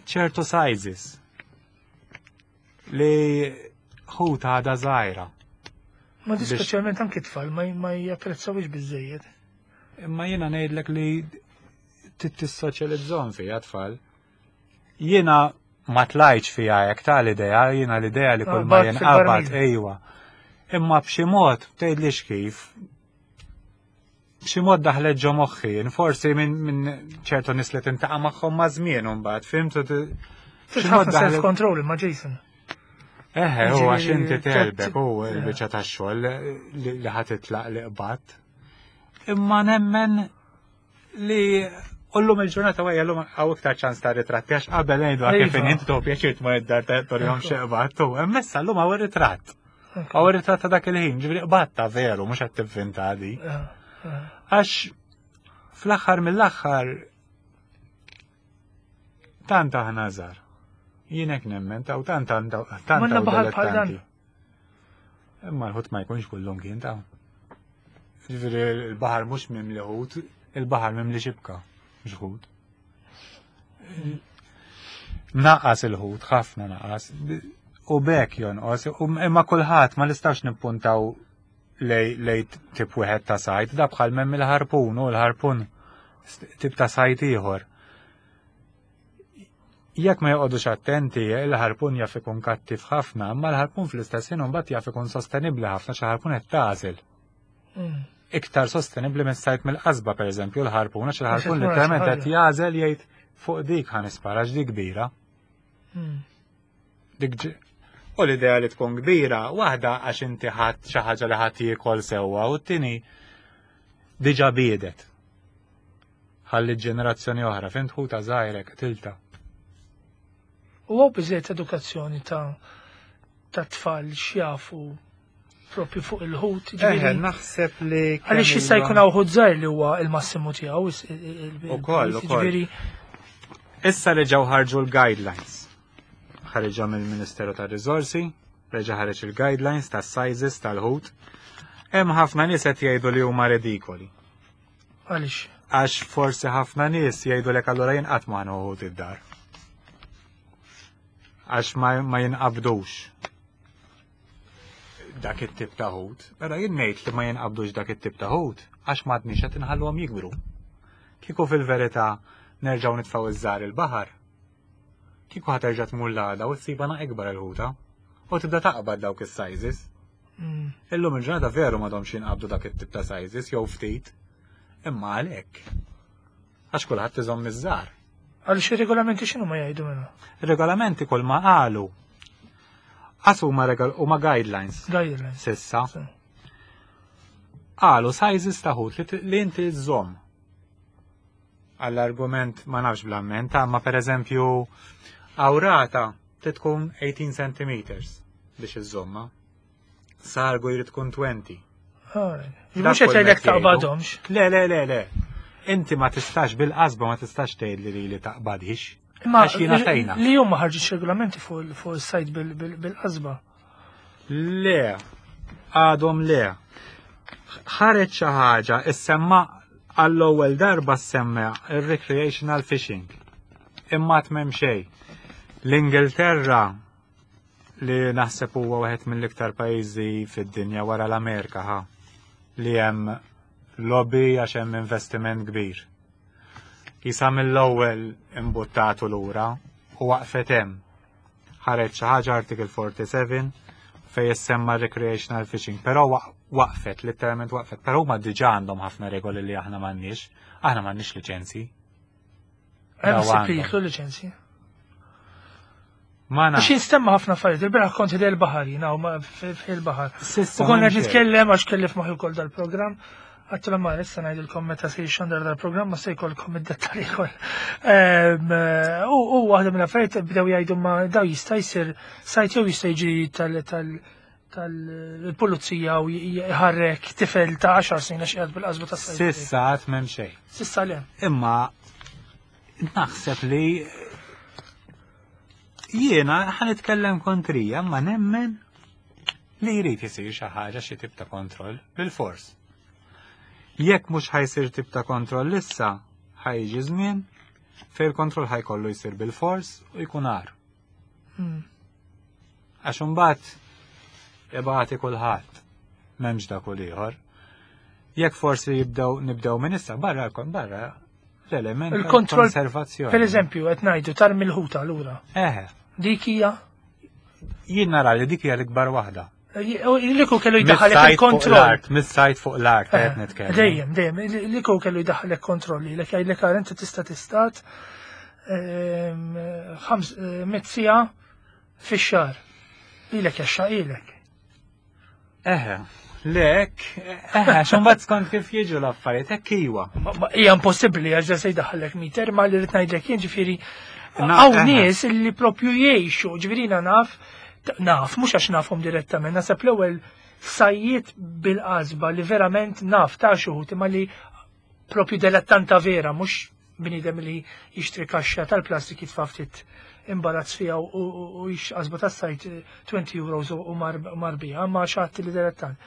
B: ċertu sizes li ħuta għada żgħira.
A: Ma di speċjalment anki tfal ma japprezzawx biżejjed.
B: Imma jiena ngħidlek li tissoċjalizzhom fiha tfal. Jiena ma tlajtx fiha hekk ta' l-idea, jiena l-idea li kull ma jinqabad ejwa. Imma b'xi mod tgħidlix kif b'xi mod daħlet ġo moħħi, forsi minn ċertu nies li tintaqa' magħhom ma' żmien imbagħad, fhimt?
A: B'xi mod daħlet self-control imma Jason.
B: Eħe, u għax inti telbek u l-biċċa tax-xogħol li ħa titlaq li qbadt. Imma nemmen li Ullum il-ġurnata għajja l-lum għaw iktar ċans ta' ritratti, għax qabel ngħidu kif inti tuħu pjaċir tmur id-dar ta' torjom xeqbat, u emmessa l-lum għaw ritratt. Għaw ritratt ta' dak il-ħin, ġifieri qbatta veru, mhux qed tivvinta di. Għax fl-aħħar mill-aħħar tant aħna żgħar. Jien hekk nemmen ta' u tant tant
A: tant.
B: Imma l-ħut ma jkunx kullum kien ta' Ġifieri l-baħar mhux mimli ħut, il-baħar mimli xibka, mhux ħut. Naqas il-ħut, ħafna naqas. U bekk jonqos, imma kulħadd ma nistax nippuntaw lej, lej tip wieħed ta' sajt, da bħal memm il-ħarpun u l-ħarpun tip ta' sajt ieħor. Jekk ma joqogħdux attenti, il-ħarpun jaf ikun kattiv ħafna, imma l-ħarpun fl-istess ħin imbagħad jaf ikun sostenibbli ħafna xi ħarpun qed tagħżel. Mm. Iktar sostenibbli minn sajt mill-qasba pereżempju l-ħarpun għax il-ħarpun literalment qed jagħżel jgħid fuq dik ħa nispara dik kbira. Mm. Dik U l-idea li tkun kbira, waħda għax inti ħadd xi ħaġa li ħadd jiekol sewwa u t-tieni diġà biedet. Ħalli ġenerazzjoni oħra, fint ħuta żgħirek tilta.
A: U għaw biżejt edukazzjoni ta' ta' tfal x'jafu propju fuq il-ħut.
B: Eħe, naħseb li.
A: Għaliex jista' jkun hawn ħut żgħir li huwa il-massimu tiegħu.
B: Ukoll, ukoll. Issa reġgħu ħarġu l-guidelines. Ħareġha mill-Ministeru tar-Riżorsi, reġa' ħareġ il-guidelines tas-sizes tal-ħut. Hemm ħafna nies qed jgħidu li huma redikoli.
A: Għaliex?
B: Għax forsi ħafna nies jgħidu lek allura jien qatt ma ħut id-dar. Għax ma jinqabdux dak it-tip ta' ħut. Però jien ngħid li ma jinqabdux dak it-tip ta' ħut għax m'għadniex qed inħalluhom jikbru. Kieku fil-verità nerġgħu nitfgħu iż-żgħar il-baħar, kieku ħa terġa' tmur l-għada u ssibha na ikbar il-ħuta u tibda taqbad dawk is-sizes. Illum il-ġurnata veru m'għadhomx jinqabdu dak it-tip ta' sizes jew ftit, imma għalhekk. Għax kulħadd iżomm iż-żgħar.
A: Għaliex ir-regolamenti x'inhu ma jgħidu minnu?
B: Ir-regolamenti kull ma qalu. Għas huma huma guidelines.
A: Guidelines.
B: Sissa. Qalu sizes ta' ħut li inti żżomm. Għall-argument ma nafx bl-amment, ma per eżempju awrata tkun 18 cm biex iżżomma. Sargu jrid tkun 20.
A: Mhux qed jgħidlek taqbadhomx.
B: Le, le, le, le. Inti ma tistax bil-qasba ma tistax tgħid li li taqbadhix.
A: Imma
B: Għax jiena fejna.
A: Li huma ħarġu regolamenti fuq is-sajd bil-qasba.
B: Le, għadhom le. Ħareġ xi ħaġa issemma għall-ewwel darba semma ir-recreational fishing. Imma tmem xejn. L-Ingilterra li naħseb huwa wieħed mill-iktar pajjiżi fid-dinja wara l-Amerika ħa li hemm lobby għax hemm investiment kbir. Isa mill-ewwel imbuttatu lura u waqfet hemm. Ħareġ xi ħaġa Article 47 fej jissemma recreational fishing, però waqfet, literalment waqfet, però huma diġà għandhom ħafna regoli li aħna m'għandniex, aħna m'għandniex liċenzji.
A: Hemm
B: Daw
A: issib li
B: għandhom.
A: jitlu liċenzji.
B: Ma
A: Għax
B: nafx.
A: jinstemma ħafna affarijiet, il-beraħ kont ħdej il-baħar jiena u fil-baħar.
B: Sissa
A: U konna qed
B: m'hemm xejn.
A: nitkellem għax kelli f'moħħi wkoll dal-programm. Għattu ma issa ngħidilkom meta se jixxandar dal-programm ma se jkollkom id-dettalji koll. U waħda mill-affarijiet bdew jgħidu ma daw jista' jsir sajd jew jista' jiġi tal tal tal-pulizija u jħarrek tifel ta' 10 snin għax qiegħed bil-qasba tas sajd.
B: Sissa għad m'hemm xejn.
A: Sissa le.
B: Imma naħseb li jiena ħa nitkellem kontrija, ma nemmen li jrid isir xi ħaġa xi tip ta' kontroll bil-fors. Jekk mhux ħajsir tip ta' kontroll issa, ħajġi żmien fejn il-kontroll ħajkollu jsir bil-fors u jkun għar. Għax imbagħad ibati kulħadd m'hemmx dak u ieħor. Jekk forsi jibdew nibdew minn issa barra barra l-element
A: Il-kontroll,
B: konservazzjoni.
A: Per eżempju, qed ngħidu tarmi l-ħuta lura.
B: Eħe,
A: Dik hija
B: jien nara li dik hija l-ikbar waħda.
A: Liku kellu jdaħħalek
B: Mis-sajt fuq
A: il-kontroll.
B: l-art, mis-sajt fuq l-art qed nitkellem.
A: Dejjem, dejjem, liku kellu jdaħħalek kontrolli, lek jgħidlek għal inti tista' tistat 500 siegħa fix-xahar. Ilek jaxxa ilek.
B: Eħe, lek, eħe, xumbat skont kif jiġu l-affarijiet, hekk iwa.
A: Hija impossibbli għax se jdaħħalek miter, ma li rrid ngħidlek jien ġifieri
B: Na,
A: hawn
B: eħe.
A: nies li propju jgħixu, ġifieri jiena naf, naf, mhux għax nafhom direttament, nasab l-ewwel sajjiet bil-qasba li verament naf ta' xi wħud imma li propju dilettanta vera, mhux bniedem li jixtri kaxxa tal-plastik jitfa' ftit imbarazz fiha u jix qasba tas-sajt 20 euros u marbija, ma xatt li dilettant.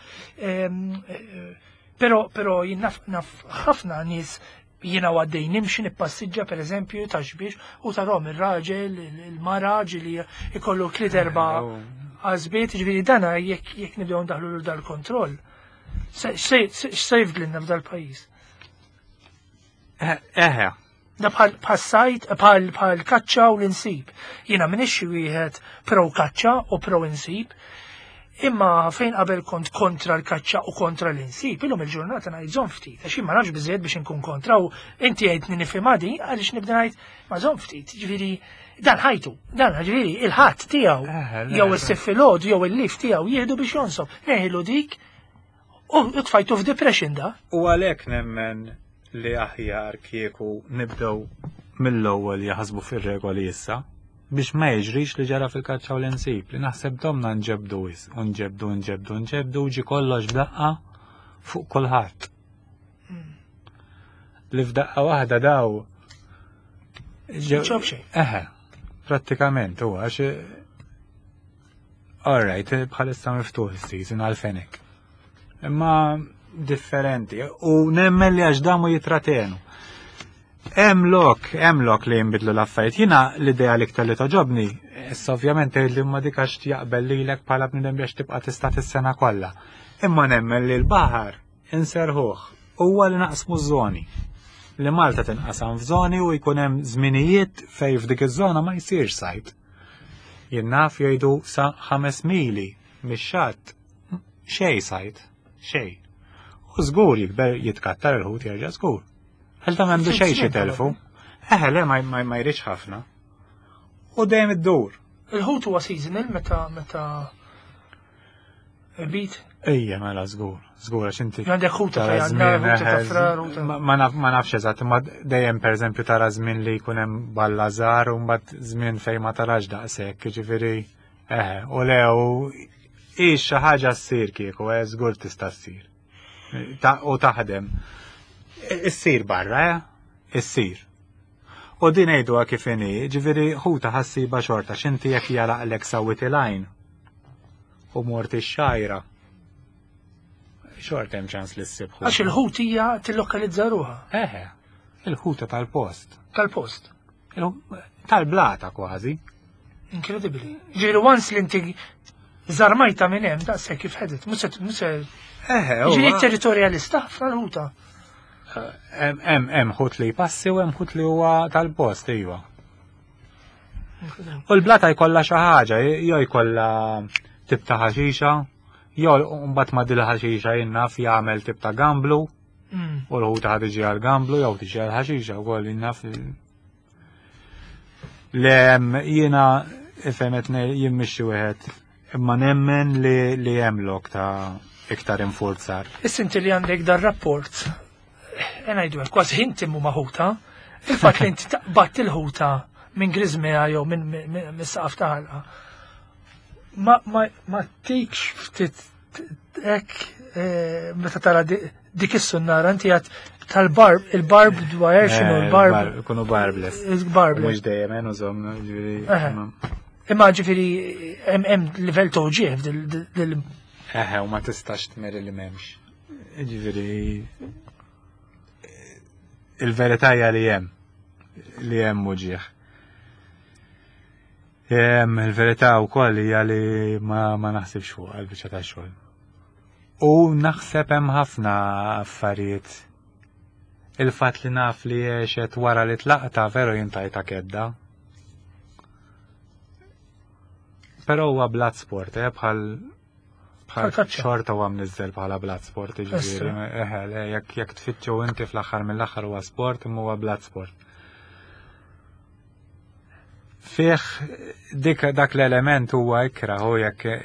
A: Pero, pero jien naf, naf ħafna nies jiena għaddej nimxi nippassiġġa per eżempju ta' xbiex u tarom ir-raġel, il-mara ġili ikollu tliet erba' għażbiet, ġifieri dana jekk jekk nibdew ndaħlu dal-kontroll. Se jifdlilna f'dal-pajjiż.
B: Eħe,
A: Da bħal bħal sajt, bħal bħal kaċċa u l-insib. Jiena minix xi wieħed pro kaċċa u pro insib. Imma fejn qabel kont kontra l-kaċċa u kontra l-insib, illum il-ġurnata ngħid żomm ftit, għax jien ma nafx biżejjed biex inkun kontra u inti għidtni nifhimha din għaliex nibda ngħid ma żomm ftit, ġifieri dan ħajtu, dan ġifieri il-ħadd tiegħu jew is-sitt filgħodu jew il-lif tiegħu jieħdu biex jonsob, neħilu dik u tfajtu f'depression da.
B: U għalhekk nemmen li aħjar kieku nibdew mill-ewwel jaħsbu fir-regoli issa biex ma jiġrix li ġara fil-kaċċa u l-insib li naħseb domna nġebdu wis u nġebdu nġebdu nġebdu ġi kollox f'daqqa fuq kulħadd. Li f'daqqa waħda daw Eħe, prattikament huwa għax All right, bħalissa miftuħ is-season għal-fenek. Imma differenti u nemmen li għax damu jitratenu. Hemm lok, hemm lok li jinbidlu l-affarijiet. Jiena l-idea l-iktar li toġobni, issa ovvjament tgħid li ma dik għax jaqbel lilek bħala bniedem biex tibqa' tista' tis-sena kollha. Imma nemmen li l-baħar inserħuh huwa li naqsmu żoni. Li Malta tinqasam f'żoni u jkun hemm żminijiet fejn f'dik iż-żona ma jsirx sajt. Jien naf jgħidu sa ħames mili mix-xatt xej sajt, xej. U żgur jikber jitkattar il-ħut jerġa' żgur. Għal ta' m'għandu xejn xi telfu. Eħe le ma jridx ħafna. U dejjem iddur.
A: Il-ħut huwa seasonal meta meta bit.
B: Ejja, mela żgur, żgur għax inti.
A: Għandek ħuta ta' żmien,
B: ma nafx eżatt, imma dejjem pereżempju tara żmien li jkun hemm balla żgħar u mbagħad żmien fejn ma tarax daqshekk, jiġifieri eħe, u le u ix xi ħaġa ssir kieku, eh, żgur tista' ssir. U taħdem. Issir barra, eh? Issir. U din għiduha kif inhi, ġifieri ħuta ħassiba xorta x'inti jekk jaraqlek sawit il-għajn u mort ix-xajra. Xorta hemm ċans li ssib
A: ħuta. Għax il-ħut hija tillokalizza ruħha.
B: Eħe, il-ħuta tal-post.
A: Tal-post.
B: Tal-blata kważi.
A: Inkredibbli. Ġifieri once li inti żarmajta minn hemm daqshekk kif ħedet, mhux se
B: Eħe,
A: Ġifieri territorjalista ħafna l-ħuta.
B: Hemm hemm ħut li jpassi u hemm ħut li huwa tal-post, iva. U l-blata jkollha xi ħaġa, jew jkollha tip ta' ħaxixa, jew mbagħad ma' dil ħaxixa jien naf jagħmel tip ta' gamblu, mm. u l-ħuta ħad tiġi għal gamblu jew tiġi għal ħaxixa wkoll jien naf. Le jiena ifhem qed jien mixi wieħed imma nemmen li li hemm lok ta' iktar infurzar.
A: Issa inti li għandek dar rapport, ngħidu hekk kważi inti mu maħuta, il-fatt li inti taqbad il-ħuta minn griżmea jew minn saqaf ta' ħalqa. Ma ma ma tikx ftit hekk eh, meta tara dik is-sunnara inti għad tal-barb, il-barb dwar x'inhu eh, l-barb.
B: Ikunu barbless.
A: Il-barbless.
B: Mhux dejjem eh, nużhom, ġifieri.
A: Imma ġifieri hemm livell ta' uġieħ dil.
B: Eħe, u ma tistax tmeri li m'hemmx. Ġifieri il-verità hija li hemm li hemm uġieħ. Il-verità wkoll hija li ma, ma naħsibx fuq għal-biċċa ta' xogħol. U naħseb hemm ħafna affarijiet. Il-fatt li naf li għexet wara li tlaqta veru jintajta kedda. Però huwa blood sport, eh, bħal bħal xorta huwa mniżżel bħala blood sport, jiġifieri, eħe, jekk jekk tfittxu inti fl-aħħar mill-aħħar huwa sport imma huwa blood sport. Fih dik dak l-element huwa ikrah u jekk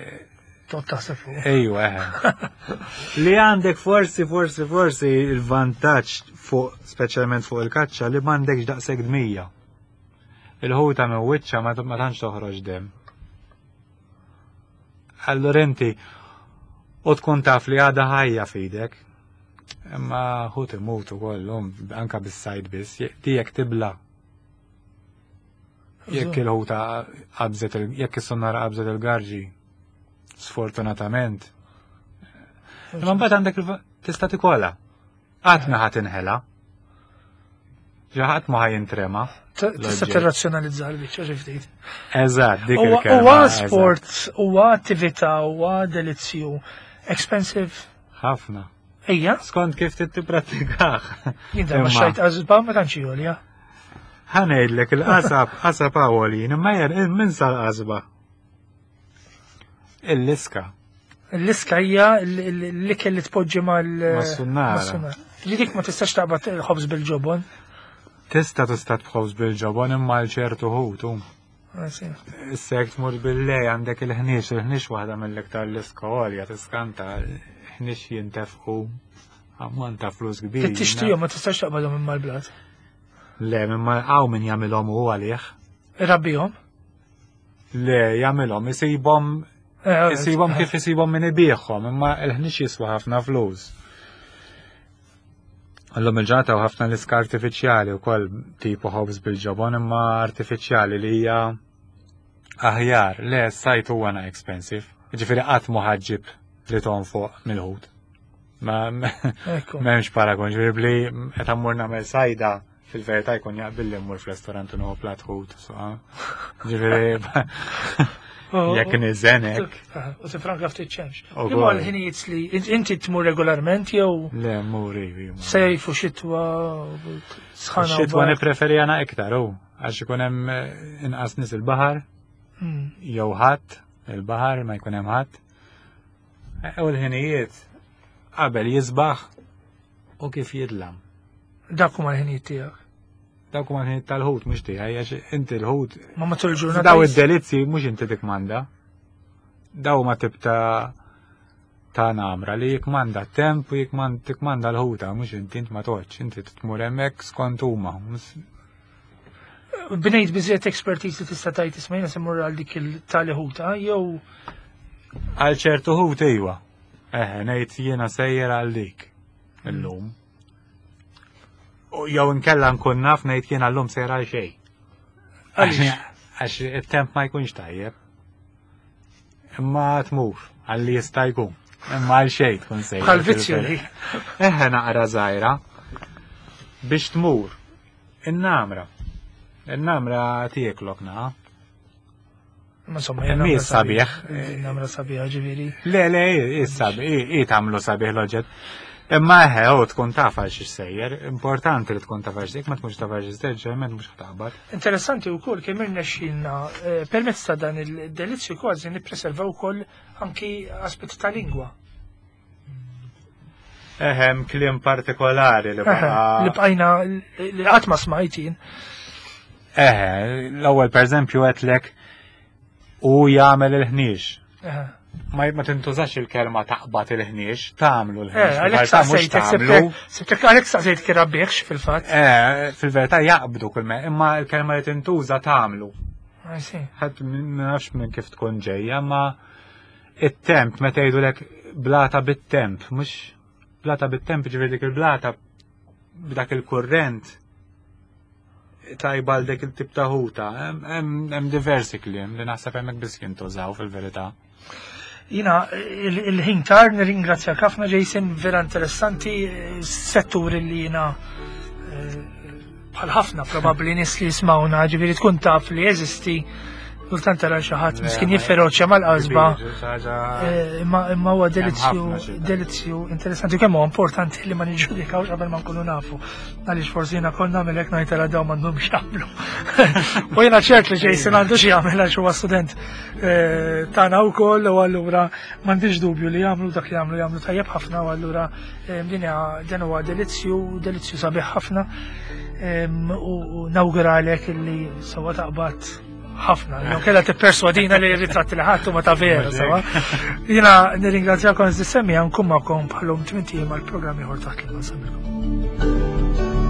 A: Tot taħseb fuq.
B: Ejwa, eħe. Li għandek forsi, forsi, forsi il-vantaġġ fuq, speċjalment fuq il-kaċċa, li m'għandekx daqshekk dmija. Il-ħuta minn wiċċa ma tantx toħroġ dem. Allura inti u tkun taf li għadha ħajja f'idek. Imma ħut imut ukoll, anka bis-sajd biss, tiegħek tibla. Jekk il-ħuta qabżet, jekk is-sonnara qabżet il-garġi, sfortunatament. Imma mbagħad għandek tista' tikola. Qatt ma ħadd inħela. Ġaħat ma ħajintrema.
A: Tista' tirrazzjonalizza l-biċċa xi ftit.
B: Eżatt, dik il-kelma.
A: Huwa sport, huwa attività, huwa delizzju. Expensive.
B: Ħafna.
A: Ejja.
B: Skont kif tipprattikah.
A: Jien darba xajt qasba ma tantx għolja.
B: Ħa ngħidlek il-qasab, qasab għolin, imma jer minn sal-qasba. Il-liska.
A: L-iska hija l-ikel li tpoġġi mal
B: Mas-sunnara.
A: Li dik ma tistax taqbad ħobż bil-ġobon.
B: Tista' tista' tħobż bil-ġobon imma l ċertu ħutu. Issa jekk tmur bil-lej għandek il-ħniex, il-ħniex waħda mill-iktar l-iska għolja tiskanta, ħniex jintefqu ammont ta' flus kbir.
A: Tixtrihom ma tistax taqbadhom imma l-blat.
B: Le, imma hawn min jagħmilhom hu għalih.
A: Irabbihom?
B: Le, jagħmilhom, isibhom eh, isibhom kif isibhom min ibieħhom, imma l-ħniex jiswa ħafna flus. Illum il-ġurnata u ħafna l-iska artifiċjali wkoll tipu ħobż bil-ġobon imma artifiċjali li hija aħjar. Le, sajt huwa na expensive. Ġifieri qatt mu ħaġġib li tonfoq mill-ħut. Ma m'hemmx paragon, ġifieri bli qed ammur nagħmel sajda fil-verità jkun jaqbil li mmur fl-restaurant u nieħu plat ħut. Ġifieri oh, jekk niżenek.
A: U tifranka ftit ċemx. Imma l-ħinijiet li inti tmur regolarment jew?
B: Le, mur ivi.
A: Sejf u xitwa
B: sħana. Xitwa nippreferi għana iktar, u għax ikun hemm eh, inqas nies il-baħar, hmm. jew ħadd il-baħar ma jkun hemm ħadd. Eh, u l-ħinijiet qabel jisbaħ u kif jidlam.
A: Dak huma l-ħinijiet tiegħek.
B: Dawk huma l-ħinijiet tal-ħut mhux tiegħi għax inti l-ħut.
A: Ma matul il-ġurnata.
B: Daw id-delizzi mhux inti tikmanda. Daw ma tibta ta' namra li jikmanda temp u jikmanda l-ħuta, mhux inti int ma toċ, inti tmur hemmhekk skont huma.
A: Bnejt biżejjed expertise li tista' tgħid isma' jiena se mmur għal dik il-tali ħuta jew
B: Għal ċertu ħut iwa. Eħe, ngħid jiena sejjer għal dik illum. U jew inkella nkun naf ngħid jiena llum sejjer għal xejn. Għax it-temp ma jkunx tajjeb. Imma tmur għalli jista' jkun. Imma għal xejn tkun sejjer.
A: Bħal vizzju li.
B: Eħe naqra żgħira biex tmur. In-namra. In-namra tieklok naqa.
A: Ma insomma,
B: Mi sabiħ.
A: Namra sabiħ, ġifieri.
B: Le, le, sabiħ, i tagħmlu sabiħ l-oġġett. Imma eħe, u tkun taf għal xiex sejjer, importanti li tkun taf għal xiex, ma tkunx taf għal xiex sejjer, ġeneralment mhux ħtaħbat.
A: Interessanti wkoll kemm irnexxielna eh, permezz ta' dan il-delizzju kważi nippreservaw ukoll anki aspetti ta' lingwa.
B: Eħem kliem partikolari li
A: baqa. Li bqajna li qatt ma smajtin.
B: Eħe, l-ewwel pereżempju għedtlek u jagħmel il-ħniex. Ma ma tintużax il-kelma taqbad il-ħniex, tagħmlu l-ħniex.
A: Eh, għalhekk saqsejt, għalhekk saqsejt kien rabbiex fil-fatt.
B: Eh, fil-verità jaqbdu kull me, imma l-kelma li tintuża tagħmlu. Ħadd ma nafx minn kif tkun ġejja, ma it-temp meta jgħidulek blata bit-temp, mhux blata bit-temp ġifieri dik il-blata b'dak il-kurrent tajba għal dik il-tip ta' ħuta. Hemm diversi kliem li naħseb hemmhekk biss jintużaw fil-verità.
A: Jina, il-ħin tar, nirringrazzjak ħafna Jason, vera interessanti, settur li jina eh, bħal ħafna probabbli nies li jismawna, ġifieri tkun taf li jeżisti kultant tara xi ħadd miskin jifferoċja mal-qasba. Eh, imma huwa delizzju delizzju interessanti kemm huwa importanti li ma niġġudikawx qabel ma nkunu nafu. Għaliex forsi jiena konna nagħmel hekk ngħid tara dawn m'għandhomx jagħmlu. U jiena ċert li Jason għandu xi jagħmel għax huwa student eh, tagħna wkoll u allura m'għandix dubju li jagħmlu dak li jagħmlu jagħmlu tajjeb ħafna u allura Din dan huwa delizzju, delizzju sabiħ ħafna u nawguralek illi sewa taqbad ħafna. Jew kellha tipperswadina li ritratti li ħadd huma ta' vera, sewa. Jiena nirringrazzjakom iżdi semmi nkun magħkom bħalhom tmint ijiem għall-programm ieħor taħt l-ma.